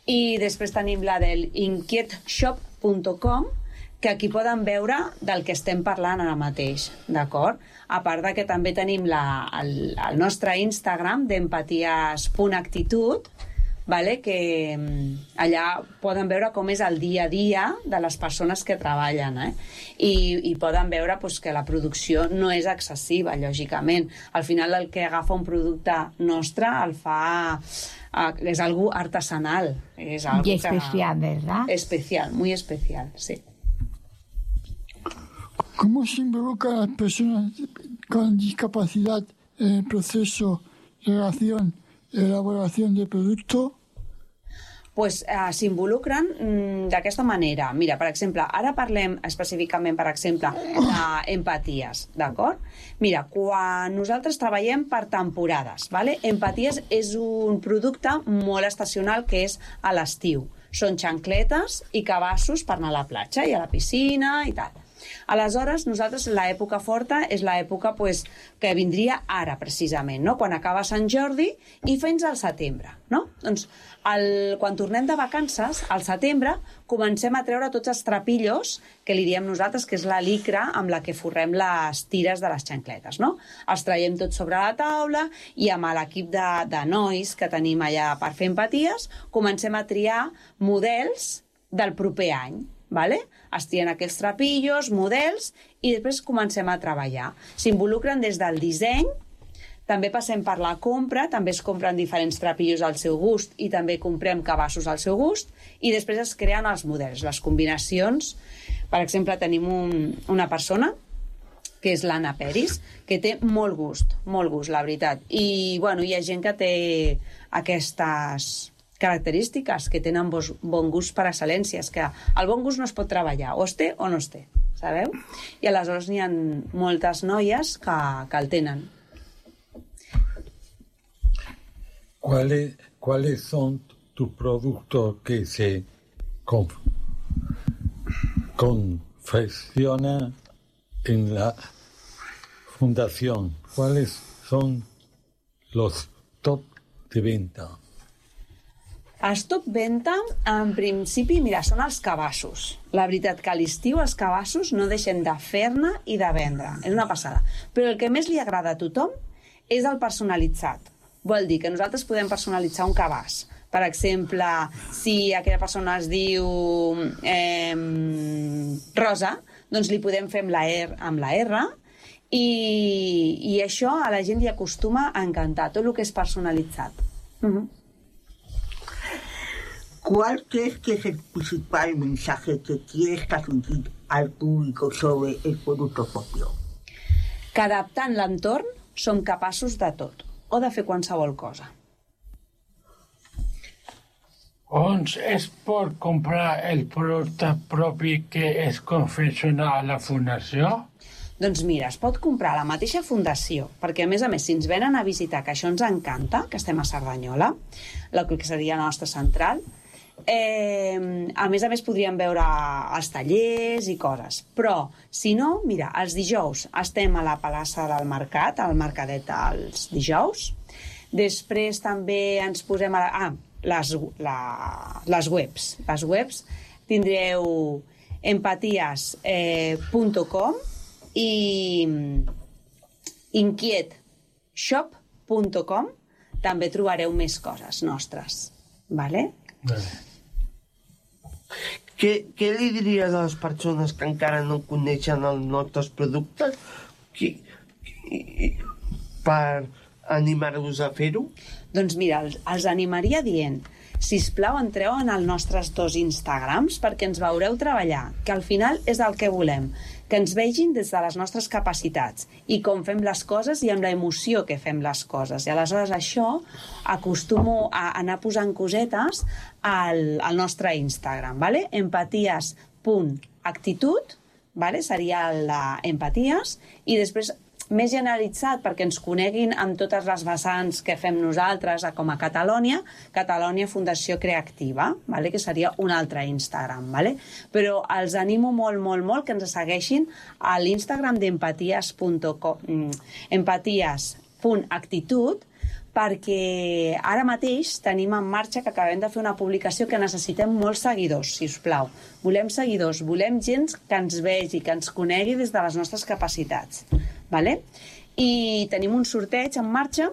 i després tenim la del inquietshop.com, que aquí poden veure del que estem parlant ara mateix, d'acord? A part de que també tenim el nostre Instagram d'empatias.actitud, vale? Que allà poden veure com és el dia a dia de les persones que treballen, I poden veure que la producció no és excessiva, lògicament. Al final el que agafa un producte nostre el fa... és algo artesanal. És algo y especial, ¿verdad? Especial, muy especial, sí. ¿Cómo se involucran las personas con discapacidad en el proceso de elaboración de producto? Pues s'involucren d'aquesta manera. Mira, per exemple, ara parlem específicament, per exemple, d'empaties, d'acord? Mira, quan nosaltres treballem per temporades, ¿vale? Empaties és un producte molt estacional que és a l'estiu. Són xancletes i cabassos per anar a la platja i a la piscina i tal. Aleshores, nosaltres l'època forta és l'època que vindria ara, precisament, no? Quan acaba Sant Jordi i fins al setembre, no? Doncs quan tornem de vacances, al setembre, comencem a treure tots els trapillos, que li diem nosaltres, que és la licra amb la que forrem les tires de les xancletes, no? Els traiem tots sobre la taula i amb l'equip de nois que tenim allà per fer empaties, comencem a triar models del proper any, ¿vale? Es trien aquells trapillos, models, i després comencem a treballar. S'involucren des del disseny, també passem per la compra, també es compren diferents trapillos al seu gust i també comprem cabassos al seu gust, i després es creen els models, les combinacions. Per exemple, tenim una persona, que és l'Anna Peris, que té molt gust, la veritat. I bueno, hi ha gent que té aquestes característiques, que tenen bon gust per excel·lència, és que el bon gust no es pot treballar, o es té o no es té, sabeu? I aleshores n'hi ha moltes noies que el tenen. ¿Cuáles son tus productos que se confeccionan en la fundación? ¿Cuáles son los top de venta? Els top venta, en principi, mira, són els cabassos. La veritat que a l'estiu els cabassos no deixen de fer-ne i de vendre. És una passada. Però el que més li agrada a tothom és el personalitzat. Vol dir que nosaltres podem personalitzar un cabàs. Per exemple, si aquella persona es diu Rosa, doncs li podem fer amb la R, i això a la gent li acostuma a encantar, tot el que és personalitzat. ¿Cuál crees que es el principal mensaje que quieres transmitir al público sobre el producto propio? Que adaptant l'entorn som capaços de tot, o de fer qualsevol cosa. On es pot comprar el producte propi que es confecciona a la fundació? Doncs mira, es pot comprar a la mateixa fundació, perquè a més, si ens venen a visitar, que això ens encanta, que estem a Cerdanyola, el que seria la nostra central, a més podríem veure els tallers i coses. Però, si no, mira, els dijous estem a la plaça del Mercat, al Mercadet els dijous. Després també ens posem a les webs. Les webs tindreu empaties.com i inquietshop.com. També trobareu més coses nostres. Vale? Què li diries a les persones que encara no coneixen els nostres productes per animar-vos a fer-ho? Doncs mira, els animaria dient: sisplau, entreu en els nostres 2 Instagrams perquè ens veureu treballar, que al final és el que volem, que ens vegin des de les nostres capacitats i com fem les coses i amb la emoció que fem les coses. I aleshores això acostumo a anar posant cosetes al nostre Instagram, ¿vale? empaties.actitud, ¿vale? Seria l'empaties, i després més generalitzat perquè ens coneguin amb totes les vessants que fem nosaltres com a Catalonia Fundació Creativa, vale? Que seria un altre Instagram. Vale? Però els animo molt que ens segueixin a l'Instagram empaties.actitud, perquè ara mateix tenim en marxa que acabem de fer una publicació que necessitem molts seguidors, si us plau. Volem seguidors, volem gent que ens vegi, que ens conegui des de les nostres capacitats. Vale? I tenim un sorteig en marxa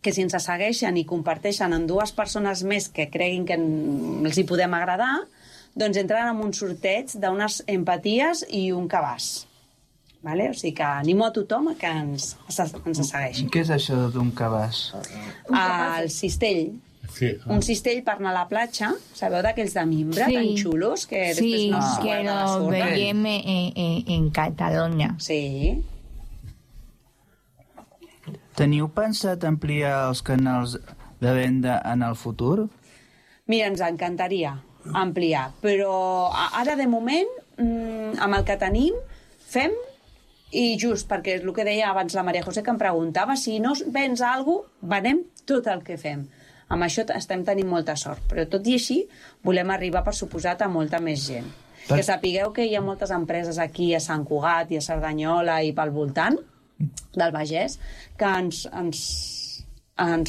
que si ens segueixen i comparteixen amb 2 persones més que creguin que els hi podem agradar, doncs entren en un sorteig d'unes empaties i un cabàs. Vale? O sigui que animo a tothom que ens segueixi. Què és això d'un cabàs? El cistell. Sí. Un cistell per anar a la platja, sabeu d'aquells de mimbre tan xulos que després no es que lo veiem en Catalunya. Sí. Teniu pensat ampliar els canals de venda en el futur? Mira, ens encantaria ampliar, però ara de moment, amb el que tenim, fem, i just perquè és el que deia abans la Maria José, que em preguntava si no vens alguna cosa, venem tot el que fem. Amb això estem tenint molta sort, però tot i així volem arribar, per suposat, a molta més gent. Que sapigueu que hi ha moltes empreses aquí a Sant Cugat i a Cerdanyola i pel voltant del Vallès que ens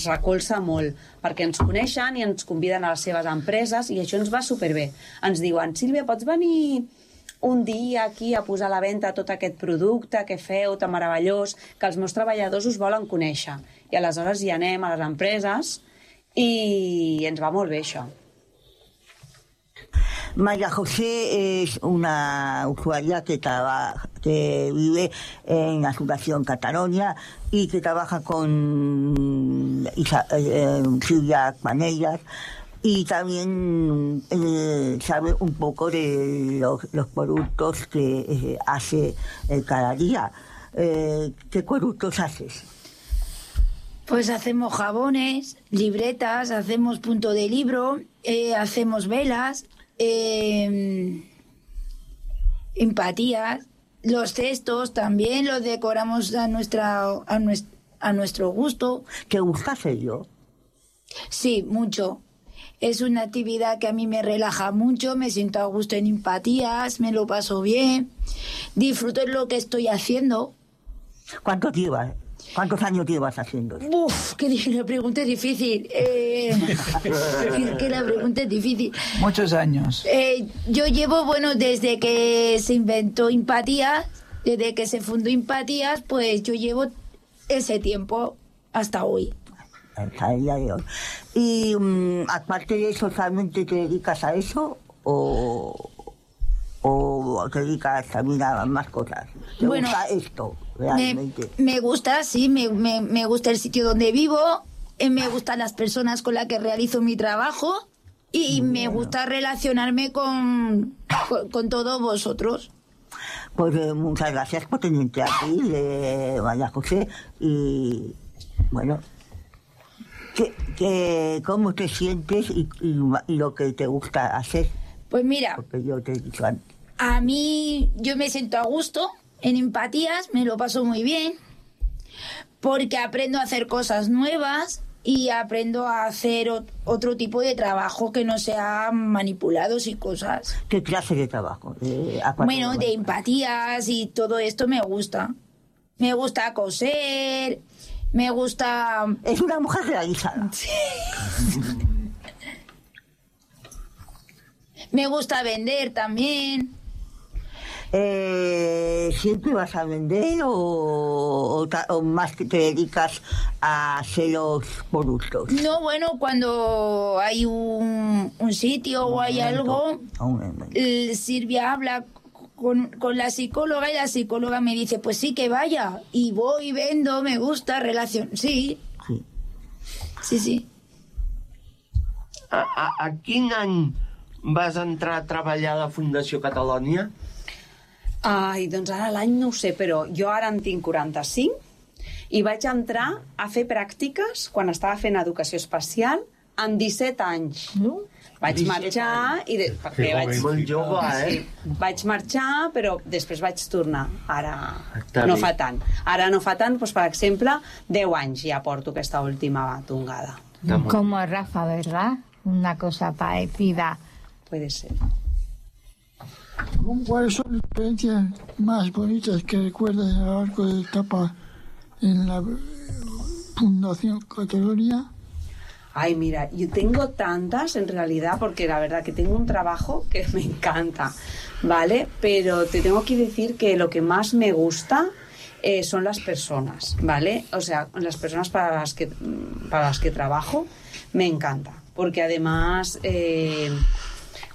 recolza molt, perquè ens coneixen i ens conviden a les seves empreses i això ens va superbé. Ens diuen: Sílvia, pots venir un dia aquí a posar a la venda tot aquest producte que feu tan meravellós, que els meus treballadors us volen conèixer. I aleshores hi anem a les empreses i ens va molt bé això. María José es una usuaria que vive en la Fundación Catalonia y que trabaja con Silvia Panellas y también sabe un poco de los productos que hace cada día. ¿Qué productos haces? Pues hacemos jabones, libretas, hacemos punto de libro, hacemos velas, empatías, los cestos también los decoramos a nuestro gusto. ¿Te gusta hacerlo? Sí, mucho. Es una actividad que a mí me relaja mucho, me siento a gusto en empatías, me lo paso bien, disfruto de lo que estoy haciendo. ¿Cuántos años llevas haciendo? Uf, que la pregunta es difícil. Que la pregunta es difícil. Muchos años. Yo llevo, desde que se inventó Empatías, desde que se fundó Empatías, pues yo llevo ese tiempo hasta hoy. Hasta el día de hoy. Y aparte de eso, ¿solamente te dedicas a eso o te dedicas también a más cosas? ¿Te gusta esto realmente? Me gusta, sí, me gusta el sitio donde vivo, me gustan las personas con las que realizo mi trabajo y me gusta relacionarme con todos vosotros. Pues muchas gracias por tenerte aquí, María José, y bueno... ¿Cómo te sientes y lo que te gusta hacer? Pues mira, Porque yo te he dicho antes. a mí yo me siento a gusto en Empatías, me lo paso muy bien, porque aprendo a hacer cosas nuevas y aprendo a hacer otro tipo de trabajo que no sea manipulados y cosas. ¿Qué clase de trabajo? Bueno, de Empatías y todo esto me gusta. Me gusta coser, me gusta... Es una mujer realizada. Sí. Me gusta vender también. ¿Siempre vas a vender o más que te dedicas a hacer los productos? No, bueno, cuando hay un sitio o hay algo, Silvia habla con la psicóloga y la psicóloga me dice, pues sí que vaya, y voy, vendo, me gusta, relación, sí. Sí. A quin any vas entrar a treballar a la Fundació Catalònia? Ai, doncs ara l'any no ho sé, però jo ara en tinc 45 i vaig entrar a fer pràctiques quan estava fent educació especial amb 17 anys. Vaig marxar i molt jove, Sí, vaig marxar, però després vaig tornar. Ara Està no bé. fa tant. Ara no fa tant, doncs, per exemple, 10 anys ja porto aquesta última tongada. Como Rafa, ¿verdad? Una cosa parecida. Puede ser. ¿Cuáles son las experiencias más bonitas que recuerdas a lo largo de la etapa en la Fundación Catalunya? Ay, mira, yo tengo tantas en realidad, porque la verdad que tengo un trabajo que me encanta, ¿vale? Pero te tengo que decir que lo que más me gusta son las personas, ¿vale? O sea, las personas para las que trabajo me encanta, porque además...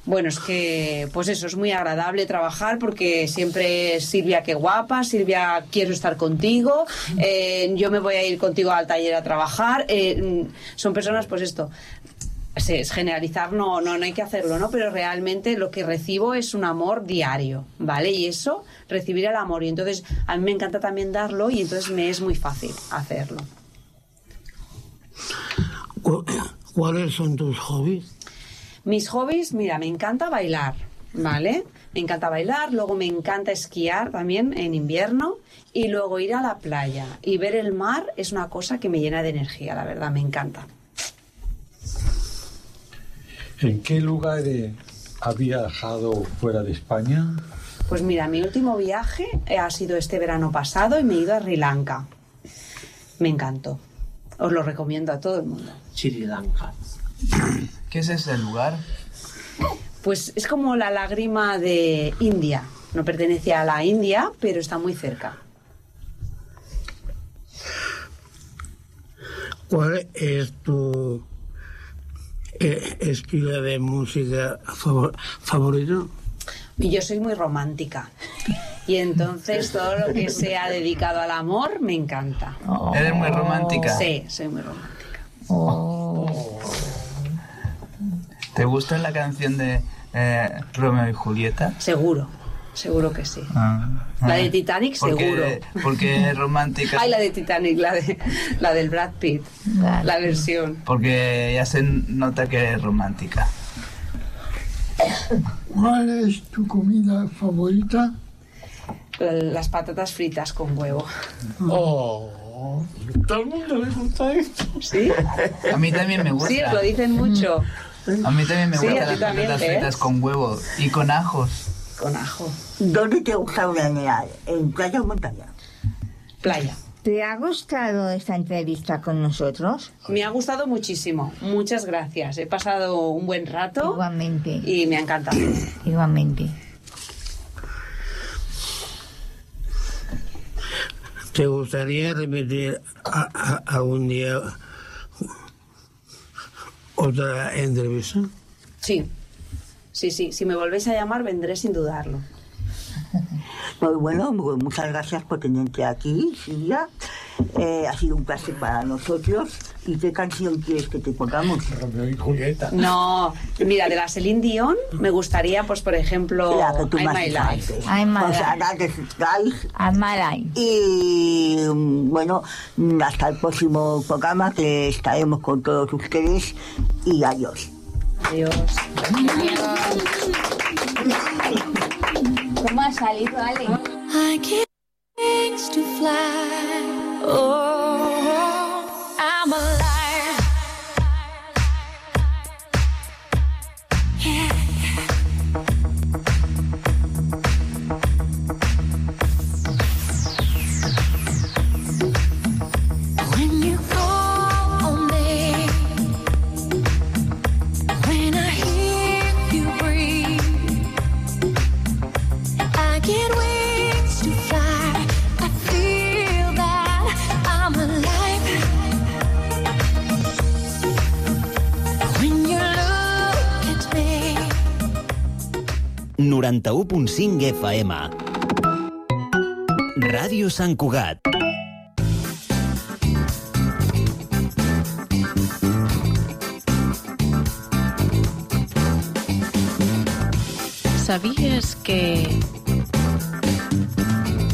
Bueno, es que, pues eso, es muy agradable trabajar porque siempre Silvia, qué guapa, Silvia, quiero estar contigo, yo me voy a ir contigo al taller a trabajar. Son personas, pues esto, es generalizar, no hay que hacerlo, ¿no? Pero realmente lo que recibo es un amor diario, ¿vale? Y eso, recibir el amor. Y entonces a mí me encanta también darlo y entonces me es muy fácil hacerlo. ¿Cuáles son tus hobbies? Mis hobbies, mira, me encanta bailar, ¿vale? Me encanta bailar, luego me encanta esquiar también en invierno y luego ir a la playa y ver el mar es una cosa que me llena de energía, la verdad, me encanta. ¿En qué lugares ha viajado fuera de España? Pues mira, mi último viaje ha sido este verano pasado y me he ido a Sri Lanka. Me encantó. Os lo recomiendo a todo el mundo. Sri Lanka. ¿Qué es ese lugar? Pues es como la lágrima de India. No pertenece a la India, pero está muy cerca. ¿Cuál es tu estilo de música favorito? Y yo soy muy romántica. Y entonces todo lo que sea dedicado al amor me encanta. ¿Eres muy romántica? Sí, soy muy romántica. ¿Te gusta la canción de Romeo y Julieta? Seguro que sí. La de Titanic, seguro. Porque es romántica. Ay, la de Titanic, la del Brad Pitt, la versión. Porque ya se nota que es romántica. ¿Cuál es tu comida favorita? Las patatas fritas con huevo. Oh, todo el mundo le gusta esto. ¿Sí? A mí también me gusta. Sí, os lo dicen mucho. A mí también me Sí, gustan a ti las también, patatas ¿ves? fritas con huevo y con ajos. Con ajo. ¿Dónde te gusta veranear? ¿En playa o montaña? Playa. ¿Te ha gustado esta entrevista con nosotros? Me ha gustado muchísimo. Muchas gracias. He pasado un buen rato. Igualmente. Y me ha encantado. Igualmente. ¿Te gustaría repetir algún día otra entrevista? Sí. Si me volvéis a llamar, vendré sin dudarlo. Pues bueno, muchas gracias por tenerte aquí, Silvia. Ha sido un placer para nosotros ¿Y qué canción quieres que te pongamos? Romeo y Julieta. No, mira, de la Celine Dion me gustaría, pues, por ejemplo, La que tú I'm más My sabes. Life. I'm My O sea, Life. I'm My Life. Y bueno, hasta el próximo programa, que estaremos con todos ustedes. Y adiós. Adiós. ¿Cómo ha salido, Ale? I get wings to fly. Oh, I'm alive. Yeah. When you call on me, when I hear you breathe, I get wings to fly. I feel that I'm alive. When you look at me. 91.5 FM. Ràdio Sant Cugat.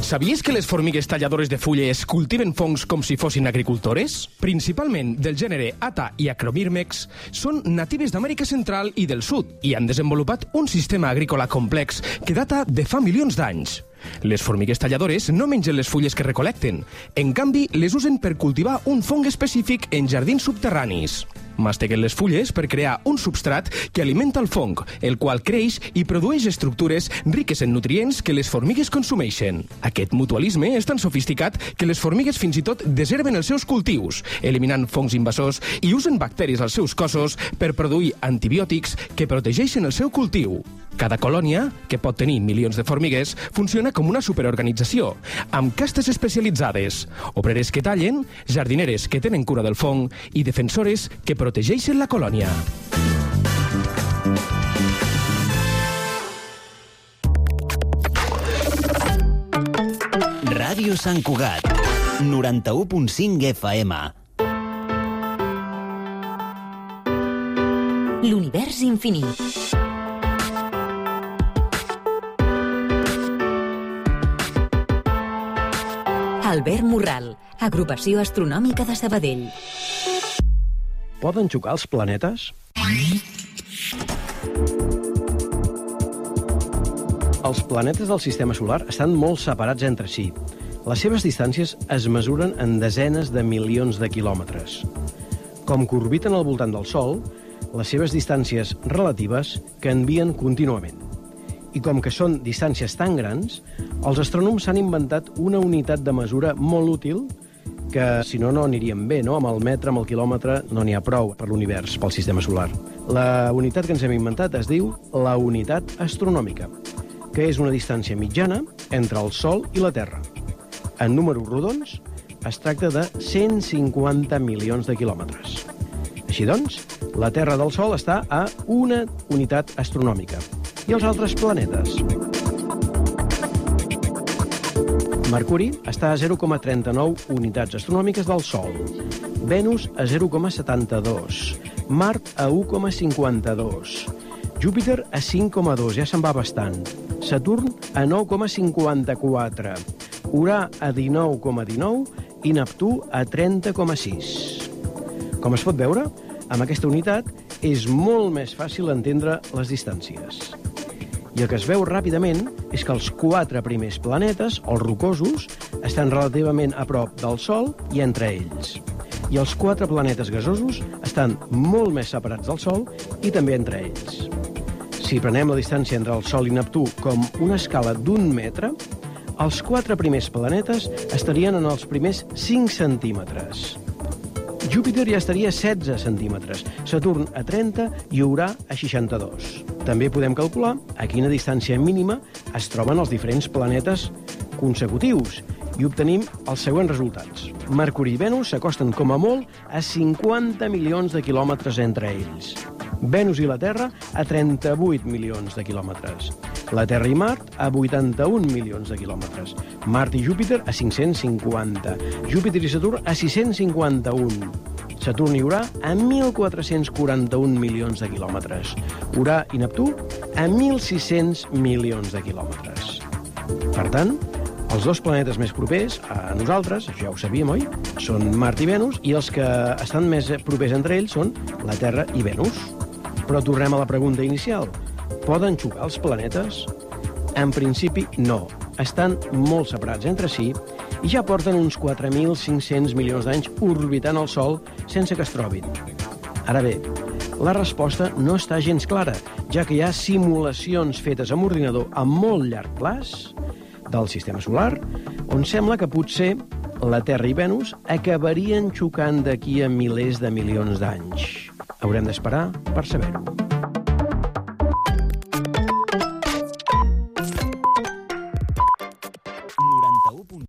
¿Sabías que les formigues talladores de fulles cultiven fongs com si fossin agricultores? Principalment del gènere Ata i Acromyrmex, són natives d'Amèrica Central i del Sud i han desenvolupat un sistema agrícola complex que data de fa milions d'anys. Les formigues talladores no mengen les fulles que recolecten. En canvi, les usen per cultivar un fong específic en jardins subterranis. Masteguen les fulles per crear un substrat que alimenta el fong, el qual creix i produeix estructures riques en nutrients que les formigues consumeixen. Aquest mutualisme és tan sofisticat que les formigues fins i tot desherben els seus cultius, eliminant fongs invasors i usen bacteris als seus cossos per produir antibiòtics que protegeixen el seu cultiu. Cada colònia, que pot tenir milions de formigues, funciona com una superorganització, amb castes especialitzades, obreres que tallen, jardineres que tenen cura del fong i defensores que protegeixen la colònia. Ràdio Sant Cugat. 91.5 FM. L'univers infinit. Albert Morral, Agrupació Astronòmica de Sabadell. Poden xocar els planetes? Els planetes del sistema solar estan molt separats entre si. Les seves distàncies es mesuren en desenes de milions de quilòmetres. Com que orbiten al voltant del Sol, les seves distàncies relatives canvien contínuament. I com que són distàncies tan grans, els astrònoms s'han inventat una unitat de mesura molt útil que, si no, no aniríem bé, no? Amb el metre, amb el quilòmetre, no n'hi ha prou per l'univers, pel sistema solar. La unitat que ens hem inventat es diu la unitat astronòmica, que és una distància mitjana entre el Sol i la Terra. En números rodons, es tracta de 150 milions de quilòmetres. Així doncs, la Terra del Sol està a una unitat astronòmica. I els altres planetes? Mercuri està a 0,39 unitats astronòmiques del Sol, Venus a 0,72, Mart a 1,52, Júpiter a 5,2, ja se'n va bastant, Saturn a 9,54, Urà a 19,19 i Neptú a 30,6. Com es pot veure, amb aquesta unitat és molt més fàcil entendre les distàncies. I el que es veu ràpidament és que els 4 primers planetes, els rocosos, estan relativament a prop del Sol i entre ells. I els 4 planetes gasosos estan molt més separats del Sol i també entre ells. Si prenem la distància entre el Sol i Neptú com una escala d'1 metre, els 4 primers planetes estarien en els primers 5 centímetres. Júpiter ja estaria a 16 centímetres, Saturn a 30 i Urà a 62. També podem calcular a quina distància mínima es troben els diferents planetes consecutius i obtenim els següents resultats. Mercuri i Venus s'acosten com a molt a 50 milions de quilòmetres entre ells. Venus i la Terra a 38 milions de quilòmetres. La Terra i Mart a 81 milions de quilòmetres. Mart i Júpiter a 550. Júpiter i Saturn a 651. Saturn i Urà a 1.441 milions de quilòmetres. Urà i Neptú a 1.600 milions de quilòmetres. Per tant, els dos planetes més propers a nosaltres, ja ho sabíem, oi? Són Mart i Venus, i els que estan més propers entre ells són la Terra i Venus. Però tornem a la pregunta inicial. Poden xocar els planetes? En principi, no. Estan molt separats entre si i ja porten uns 4.500 milions d'anys orbitant el Sol sense que es trobin. Ara bé, la resposta no està gens clara, ja que hi ha simulacions fetes amb ordinador a molt llarg plaç del sistema solar, on sembla que potser la Terra i Venus acabarien xocant d'aquí a milers de milions d'anys. Haurem d'esperar per saber-ho.